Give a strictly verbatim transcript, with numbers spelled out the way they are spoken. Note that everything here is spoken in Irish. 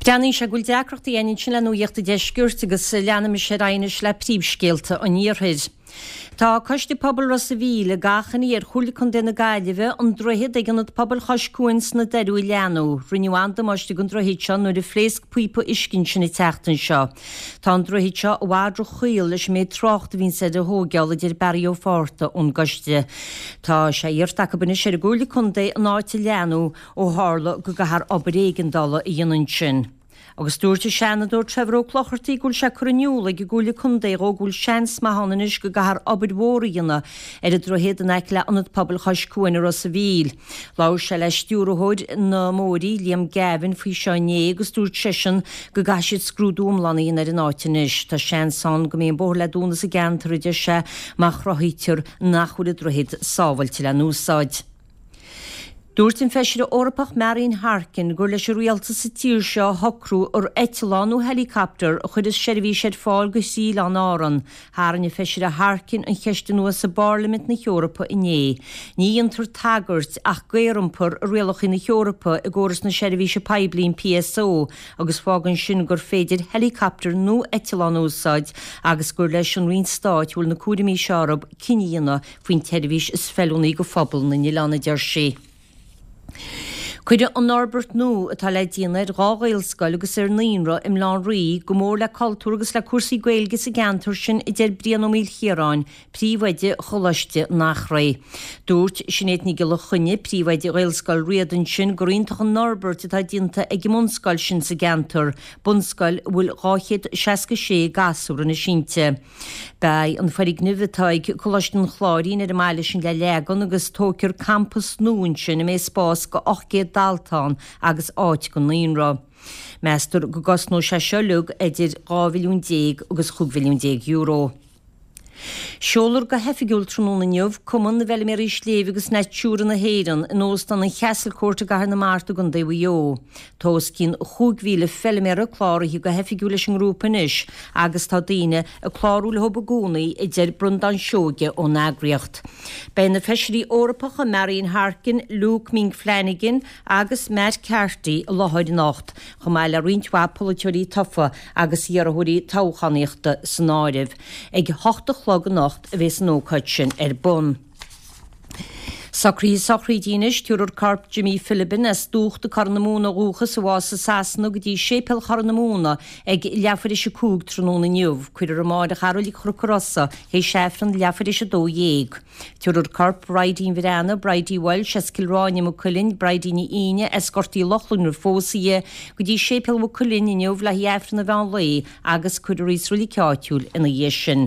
Breathnaíonn sé go bhfuil deacrachtaí againn ansin le Nuacht an Deiscirt agus leanaimis ar aghaidh anois le príomhscéalta an Iarthair. Tá Coiste Pobail Ros a' Mhíl ag achainí ar Chomhairle Contae na Gaillimhe an droichead ag Ionad Pobail Chois Cuain sna Doirí a leathnú. Rinneadh an-damáiste don droichead seo nuair a phléasc píopa uisce ansin an tseachtain seo. Tá an droichead seo i bhfad ro-chaol leis an méid trácht a bhíonns air a thóigeáil a deir Barry Ó Fátharta ón gcoiste. Tá sé iarrta acu anois ar an gComhairle Contae an áit a leathnú ó tharla go gcaithfear obair éigeandála a dhéanamh ansin. Agus dúirt an Seanadóir Trevor Ó Clochartaigh go bhfuil sé curtha in iúl ag an gComhairle Contae dhó go bhfuil seans maith ann anois go gcaithfear obair mhór a dhéanamh ar an droichead in aice le Ionad Pobail Chois Cuain i Ros a' Mhíl. Labhair sé le stiúrthóir na mBóithre, Liam Gavin, faoi seo inné agus dúirt seisean go gcaithfidh siad scrúdú iomlán a dhéanamh ar an áit anois. Tá seans ann go mbeidh an bóthar le dúnadh sa gceantar, a deir sé, má chruthaítear nach bhfuil an droichead sábháilte le n-úsáid. Dúirt an Feisire Eorpach Marian Harkin gur leis an rialtas sa tír seo a shocrú ar eitleán nó helicopter a chuirfeas seirbhís ar fáil go thrí Oileáin Árann. Tharraing an Feisire Harkin an cheist anuas i bParlaimint na hEorpa inné. Ní dhéantar tagairt ach d'aeriompar i rialacha na hEorpa i gcóras na seirbhíse poiblí an PSO agus fágann sin gur féidir helicopter nó eitleán a úsáid agus gur leis an Roinn Stáit a bhfuil na cúraimí seo orthu cinneadh a dhéanamh faoin tseirbhís is feiliúnaí do phobal na n-oileán, a deir sí. Cuirfidh an fhorbairt nua atá le déanamh ar dhá Ghaelscoil agus ar naíonra i mBaile Átha an Rí go mór le cultúr agus le cúrsaí Gaeilge sa gceantar sin, a deir Brian Ó Maoilchiaráin, príomhoide Choláiste an Eachréidh. Dúirt Sinéad Ní Ghiolla Chainnigh, príomhoide Ghaelscoil Riada ansin, gur iontach an fhorbairt atá déanta ag an mbunscoil sin sa gceantar, bunscoil a bhfuil dhá chéad seasca sé gasúr anois inti. Beidh an foirgneamh atá ag Coláiste an Chláirín ar an mbaile sin le leagan agus tógfar campas nua ansin a mbeidh spás go ocht gcéad dalta ann agus áit don naíonra. Meastar go gcosnóidh sé seo uilig idir dhá mhilliún déag agus chúig mhilliún déag euro. Seolfar go hoifigiúil tráthnóna inniu Cumann na bhFeilméaraí Sléibhe agus Natura na hÉireann in Óstán an Chastlecourt i gCathair na Mart i gContae Mhaigh Eo. Tá os cionn chúig mhíle feilméara cláraithe go hoifigiúil leis an ngrúpa anois agus tá daoine ag clárú leo i gcónaí, a deir Breandán Seoige ón eagraíocht. Beidh na Feisirí Eorpacha Marian Harkin, Luke Ming Flanagan agus Matt Carthy i láthair anocht, chomh maith le roinnt mhaith polaiteoirí tofa agus iarrthóirí toghchánaíochta san áireamh. Ag a hocht a chlog anocht a bheas an ócáid sin ar bun. Socruithe sochraide anois, tabharfar corp Jimmy Philbin as Dúchta Corr na Móna ó dhúchas a bhásaigh i Sasana go dtí Séipéal Chorr na Móna ag leathuair théis a cúig tráthnóna inniu. Cuirfear amáireach i Reilig Chnoc an Rosa théis Aifreann leathuair théis a dó dhéag. Tabharfar corp Bridie Bhreathnaigh, Bridie Walsh as Cill Ráine Maigh Cuilinn, Bridie Ní Fhíne as Gort Uí Lochlainn roimh phósadh di, go dtí Séipéal Mhaigh Cuilinn inniu le haghaidh Aifreann an mheán lae agus cuirfear í sa reilig áitiúil ina dhiaidh sin.